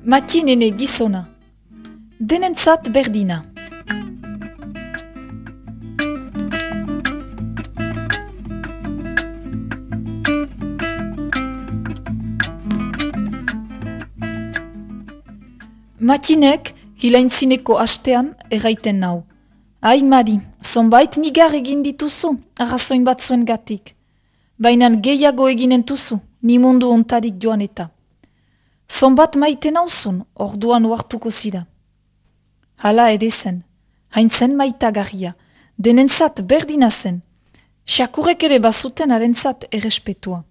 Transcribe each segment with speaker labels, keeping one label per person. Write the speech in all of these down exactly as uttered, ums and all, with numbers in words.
Speaker 1: Matinene gizona. Denentzat berdina. Matinek hilaintzineko astean erraiten nau. Ai Mari, zonbait nigar egin dituzu, arrazoin bat zuen gatik. Bainan gehiago eginen tuzu, ni mundu ontarik joan eta. Zonbat maite nauzun, orduan uartuko zira. Hala ere zen, haintzen maitagarria, denentzat berdina zen, xakurek ere bazuten harentzat errespetua.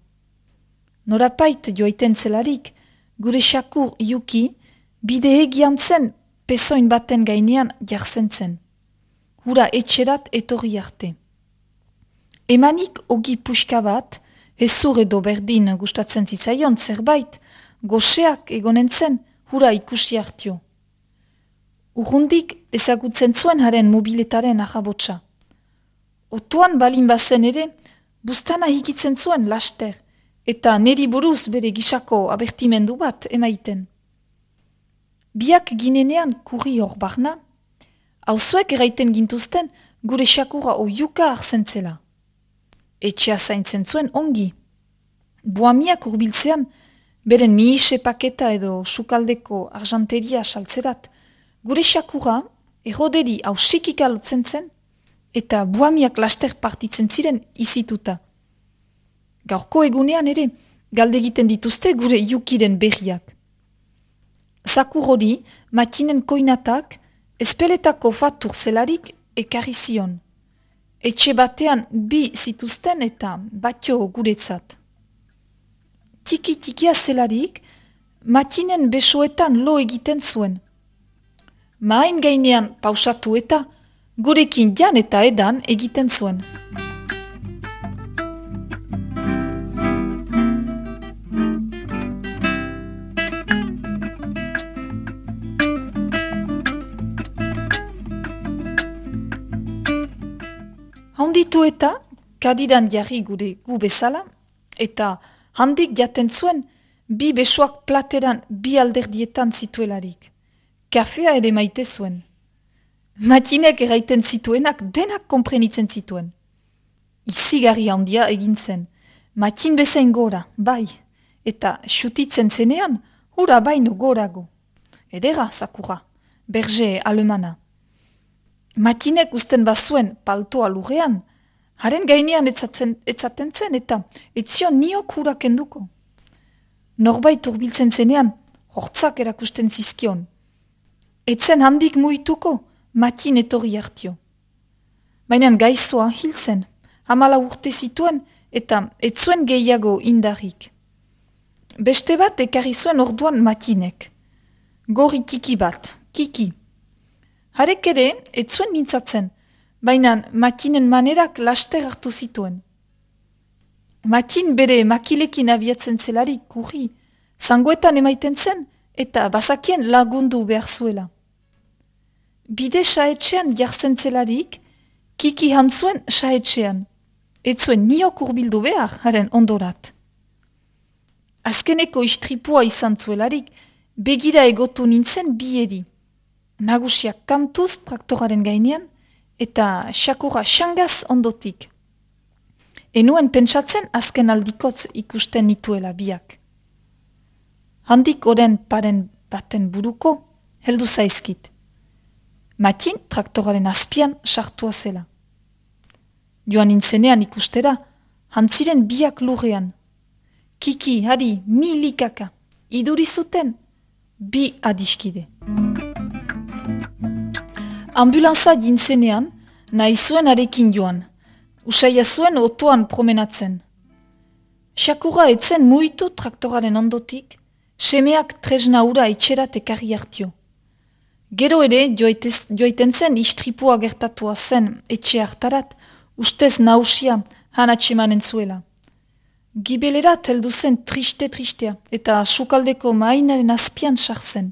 Speaker 1: Norapait joaiten zelarik, gure xakur Yuki, bide egian zen, pezoin baten gainean jartzen zen. Hura etxerat etorri arte. Emanik ogi puxka bat, hezur edo berdin gustatzen zitzaion zerbait, goseak egonen zen, hura ikusi hartio. Urrundik ezagutzen zuen haren mobiletaren ahabotsa. Otoan balin bazen ere, bustana hikitzen zuen laster, eta neri buruz bere gisako abertimendu bat emaiten. Biak ginenean kurri hor barna, hauzuek eraiten gintuzten gure xakura oiuka arzentzela. Etxea zaintzen zuen ongi. Buamiak urbiltzean, beren miise paketa edo sukaldeko arjanteria saltzerat, gure xakura erroderi hausikik alotzen zen, eta buamiak laster partitzen ziren izituta. Gaurko egunean ere, galdegiten dituzte gure Yukiren berriak. Zakur hori, matinen koinatak, espeletako fatur zelarik ekarri zion. Etxe batean bi zituzten eta batio guretzat. Tiki-tikia zelarik, matinen besoetan lo egiten zuen. Main gainean pausatu eta gurekin jan eta edan egiten zuen. Handitu eta, kadiran jarri gure gu bezala, eta handik jaten zuen, bi besoak plateran bi alderdietan zituelarik. Kafea ere maite zuen. Matinek eraiten zituenak denak konprenitzen zituen. Izigarri handia egin zen. Matin bezain gora, bai, eta xutitzen zenean, hura baino gorago. Edera, zakura, berge alemana. Matinek usten bazuen paltoa lurrean, haren gainean etzatzen, etzaten zen eta etzion niok hura kenduko. Norbait urbiltzen zenean, hortzak erakusten zizkion. Etzen handik muituko, Matin etorri hartio. Baina gaizoa hil zen, hamala urte zituen eta etzuen gehiago indarrik. Beste bat ekarri zuen orduan Matinek. Gori tiki bat, kiki. Harek ere, etzuen mintzatzen, baina Matinen manerak laster hartu zituen. Matin bere makilekin abiatzen zelarik kurri, zangoetan emaiten zen eta bazakien lagundu behar zuela. Bide saetxean jartzen zelarik, kiki hantzuen saetxean, etzuen niok urbildu behar haren ondorat. Azkeneko istripua izan zuelarik, begira egotu nintzen bieri. Nagusiak kantuz traktoraren gainean, eta xakura xangaz ondotik. Enuen pentsatzen azken aldikotz ikusten nituela biak. Handik oren paren baten buruko, heldu zaizkit. Matin traktoraren azpian sartua zela. Joan nintzenean ikustera, hantziren biak lurrean. Kiki, hari, milikaka, iduri zuten, bi adiskide. Ambulanza jintzenean, nahi zuen arekin joan, usaia zuen otoan promenatzen. Xakura etzen muitu traktoraren ondotik, semeak tresna ura etxerat ekarri hartio. Gero ere, joaitez, joaiten zen istripua gertatua zen etxe hartarat, ustez nausia hanatsemanen zuela. Gibelerat heldu zen triste-tristea eta sukaldeko mainaren azpian sartzen.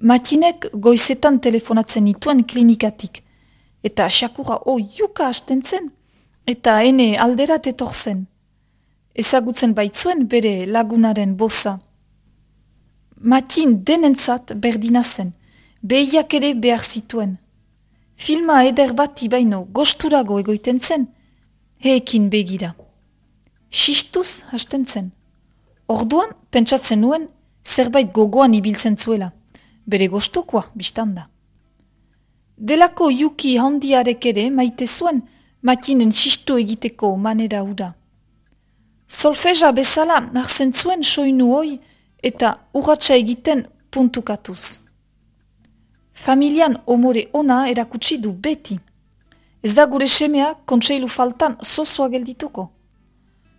Speaker 1: Matinek goizetan telefonatzen nituen klinikatik, eta xakura oiuka hasten zen, eta ene alderat etorzen. Ezagutzen baitzuen bere lagunaren boza. Matin denentzat berdina zen, behiak ere behar zituen. Filma eder bat ibaino gosturago egoiten zen, heekin begira. Sistuz hasten zen. Orduan, pentsatzen nuen, zerbait gogoan ibiltzen zuela, bere gostokoa biztanda. Delako Yuki handiarek ere maite zuen matinen sistu egiteko manera hura. Solfeja bezala hartzen zuen soinu hoi eta urratsa egiten puntukatuz. Familian omore ona erakutsi du beti. Ez da gure semea kontseilu faltan zozoa geldituko.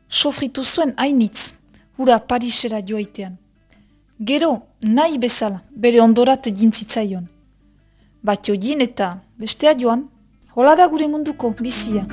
Speaker 1: Sofritu zuen hainitz, hura Parisera joaitean. Gero, nahi bezala, bere ondorat jintzitzaion. Bat jodien eta bestea joan, hola da gure munduko bizia.